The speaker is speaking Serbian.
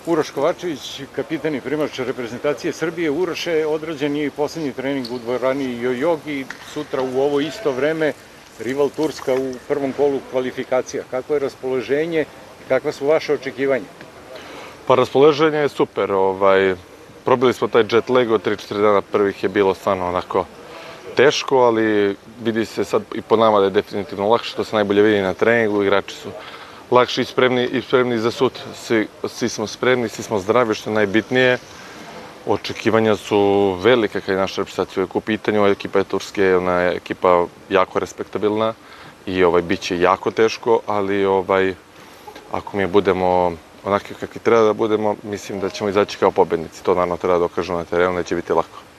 Uroš Kovačević, kapitan i primač reprezentacije Srbije. Uroše, odrađen je i poslednji trening u dvorani Jojogi, sutra u ovo isto vreme rival Turska u prvom kolu kvalifikacija. Kako je raspoloženje i kakva su vaše očekivanja? Pa raspoloženje je super. Probili smo taj jet lag od 3-4 dana prvih je bilo stvarno onako teško, ali vidi se sad i po nama da je definitivno lakše, to se najbolje vidi na treningu, igrači su lakši i spremni za sud. Svi smo spremni, svi smo zdravi, što je najbitnije. Očekivanja su velike kad je naša reprezentacija u pitanju. Ekipa je Turske, ona je ekipa jako respektabilna i bit će jako teško, ali ako mi budemo onakvi kakvi treba da budemo, mislim da ćemo izaći kao pobednici. To naravno treba da dokažemo na terenu, neće biti lako.